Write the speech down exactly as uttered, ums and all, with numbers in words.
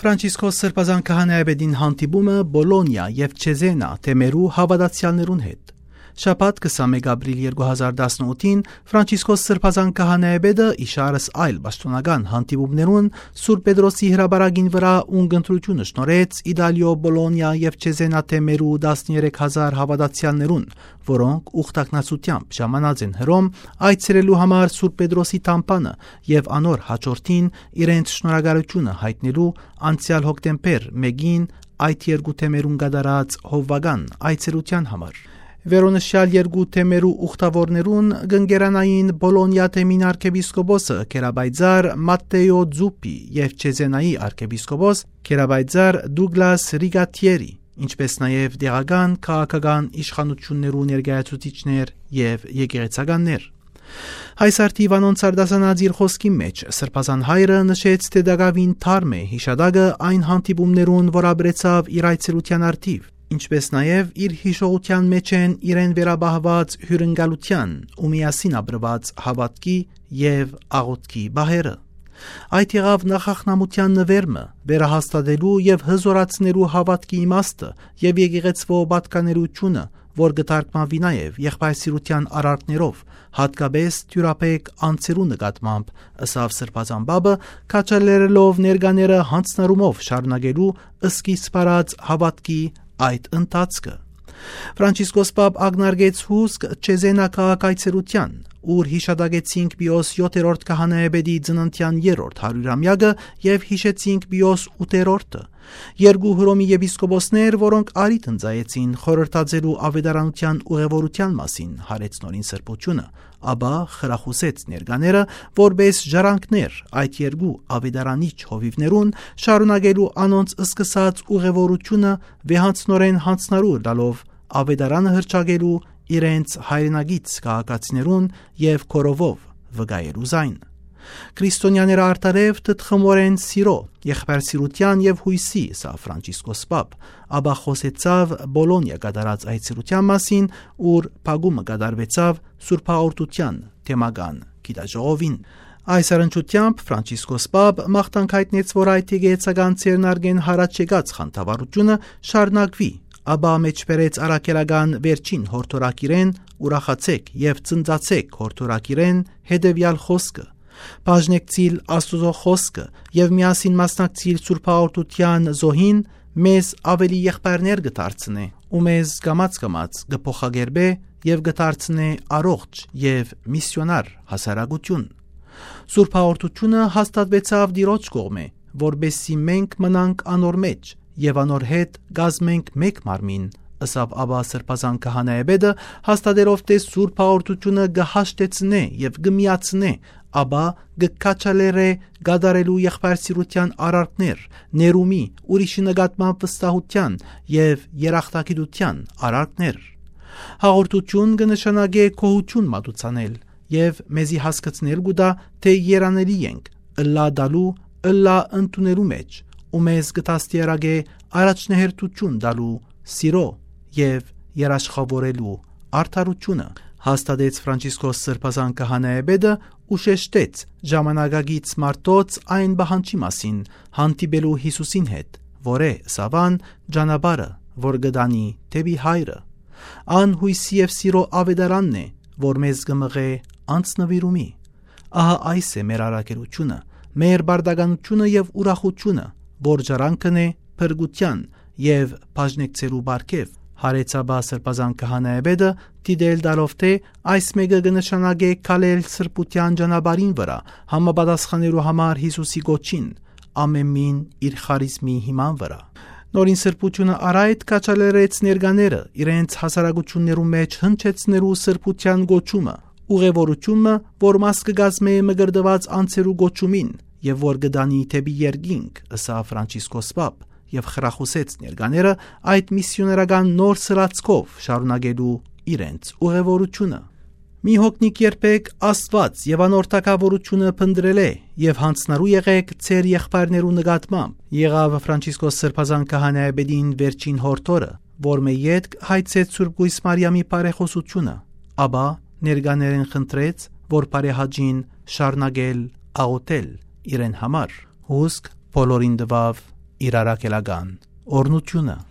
Ֆրանցիսկոս Սրբազան քահանայապետին հանդիպումը Բոլոնիա եւ Չեզենա թեմերու հաւատացեալներուն հետ։ Շաբաթ, քսանմէկ ապրիլ երկու հազար տասնութին, Ֆրանցիսկոս Սրբազան քահանայապետը, իշարս այլ պաշտօնական հանդիպումներուն, Սուրբ Պետրոսի հրապարակին վրայ ունկնդրութիւնը շնորհեց Իտալիոյ Բոլոնիա եւ Չեզենա թեմերու տասներեք հազար հաւատացեալներուն, որոնք ուխտագնացութեամբ ժամանած են Հռոմ այցելելու համար Սուրբ Պետրոսի թամբանը եւ անոր յաջորդին իրենց շնորհակալութիւնը յայտնելու անցեալ հոկտեմբեր մէկին այդ երկու թեմերուն կատարած հովուական այցելութեան համար։ Վերոնշեալ երկու թեմերու ուխտաւորներուն կ'ընկերանային Բոլոնիա թեմին արքեպիսկոպոսը Քերապայծար Մատտեո Ձուպի եւ Չեզենայի արքեպիսկոպոս Քերապայծար Դուգլաս Ռիգաթիերի, ինչպէս նաեւ տեղական քաղաքական իշխանութիւններու ներկայացուցիչներ եւ եկեղեցականներ։ Այս արդիւ անոնց արտասանած իր խօսքին մէջ Սրբազան Հայրը նշեց, թէ տակաւին թարմ է յիշատակը այն հանդիպումներուն, որ ապրեցաւ իր այցելութեան արդիւ, ինչպէս նաեւ իր յիշողութեան մէջ են իրեն վերապահուած հիւրընկալութեան ու միասին ապրուած հաւատքի եւ աղօթքի պահերը։ Այդ եղաւ նախախնամութեան նուէր մը, վերահաստատելու եւ հզօրացնելու հաւատքի իմաստը եւ եկեղեցւոյ պատկանելիությունը, որ կը թարգմանուի նաեւ եղբայրսիրութեան արարքներով, յատկապէս դիւրաբեկ անձերու նկատմամբ, ըսաւ Սրբազան Պապը, քաջալերելով ներկաները յանձնառումով շարունակելու սկիզբ առած հաւատքի այդ ընթացքը։ Ֆրանցիսկոս Պապ ակնարկեց հուսկ Չեզենա քաղաքայցերութեան, ուր յիշատակեցինք Պիոս յոթերորդ քահանայապետի ծննդեան երրորդ հարիւրամեակը եւ յիշեցինք Պիոս ութերորդը, երկու Հռոմի եպիսկոպոսներ, որոնք առիթ ընծայեցին խորհրդածելու աւետարանութեան ուղեւորութեան մասին, յարեց Նորին Սրբութիւնը, ապա խրախուսեց ներկաները, որպէս ժառանգներ այդ երկու աւետարանիչ հովիւներուն, շարունակելու անոնց սկսած ուղեւորութիւնը, վեհանձնօրէն յանձնառու ըլլալով աւետարանը հռչակելու իրենց հայրենակից քաղաքացիներուն եւ քորովով վկայելու զայն։ Քրիստոնյաները արդարեւ թթխմօրէն սիրո, եղբայրսիրութեան եւ յոյսի, ըսաւ Ֆրանցիսկոս Պապ, ապա խօսեցաւ Բոլոնիա կատարած այցելութեան մասին, ուր փակումը կատարուեցաւ Սուրբ Հաղորդութեան թեմական գիտաժողովին։ Այս առնչութեամբ Ֆրանցիսկոս Պապ մաղթանք յայտնեց, որ այդ եկեղեցական ձեռնարկէն յառաջ եկած խանդավառութիւնը շարունակուի, ապա մէջբերեց առաքելական վերջին յորդորագիրէն՝ «Ուրախացէք եւ ծնծացէք» յորդորագիրէն հետեւեալ խօսքը. «Բաժնեկցիլ Աստուծոյ խօսքը եւ միասին մասնակցիլ Սուրբ Հաղորդութեան զոհին մեզ աւելի եղբայրներ կը դարձնէ ու մեզ կամաց-կամաց կը փոխակերպէ եւ կը դարձնէ առողջ եւ միսիոնար հասարակութիւն»։ Սուրբ Հաղորդութիւնը հաստատուեցաւ Տիրոջ կողմէ, որպէս զի մենք մնանք անոր մէջ եւ անոր հետ կազմենք մէկ մարմին, ըսաւ ապա Սրբազան քահանայապետը, հաստատելով թէ Սուրբ Հաղորդութիւնը կը հաշտեցնէ եւ կը միացնէ, ապա կը քաջալերէ կատարելու եղբայրսիրութեան արարքներ, ներումի, ուրիշի նկատմամբ վստահութեան եւ երախտագիտութեան արարքներ։ Հաղորդութիւն կը նշանակէ գոհութիւն մատուցանել եւ մեզի հասկցնել կու տայ, թէ երանելի ենք, ըլլայ տալու, ըլլայ ընդունելու մէջ, ու մեզ կը դաստիարակէ առաջնահերթութիւն տալու սիրո եւ երաշխաւորելու արդարութիւնը, հաստատեց Ֆրանցիսկոս Սրբազան քահանայապետը ու շեշտեց ժամանակակից մարդոց այն պահանջի մասին՝ հանդիպելու Յիսուսին հետ, որ է, ըսաւ ան, ճանապարհը, որ կը տանի դէպի Հայրը։ Ան յոյսի եւ սիրո աւետարանն է, որ մեզ կը մղէ անձնուիրումի։ Ահա այս է մեր առաքելութիւնը, մեր պարտականութիւնը եւ ուրախութիւնը, որ ժառանգն է փրկութեան եւ բաժնեկցելու պարգեւ, յարեց ապա Սրբազան քահանայապետը, դիտել տալով թէ այս մէկը կը նշանակէ քալել սրբութեան ճանապարհին վրայ՝ համապատասխանելու համար Յիսուսի կոչին, ամէն մին իր խարիզմի հիման վրայ։ Նորին Սրբութիւնը առ այդ քաջալերեց ներկաները իրենց հասարակութիւններու մէջ հնչեցնելու սրբութեան կոչումը, ուղեւորութիւնը, որ մաս կը կազմէ մկրտուած անձերու կոչումին եւ որ կը տանի դէպի երկինք, ըսաւ Ֆրանցիսկոս Պապ, եւ խրախուսեց ներկաները այդ միսիոներական նոր սլացքով շարունակելու իրենց ուղեւորութիւնը։ «Մի հոգնիք երբեք Աստուած եւ անոր թագաւորութիւնը փնտռելէ եւ յանձնառու եղէք ձեր եղբայրներու նկատմամբ», եղաւ Ֆրանցիսկոս Սրբազան քահանայապետին վերջին յորդորը, որ մէ ետք հայցեց Սուրբ Կոյս Մարիամի բարեխօսութիւնը, ապա ներկաներէն խնդրեց, որ բարեհաճին շարունակել աղօթել իրեն համար։ Հուսկ բոլորին տուաւ իր առաքելական օրհնութիւնը։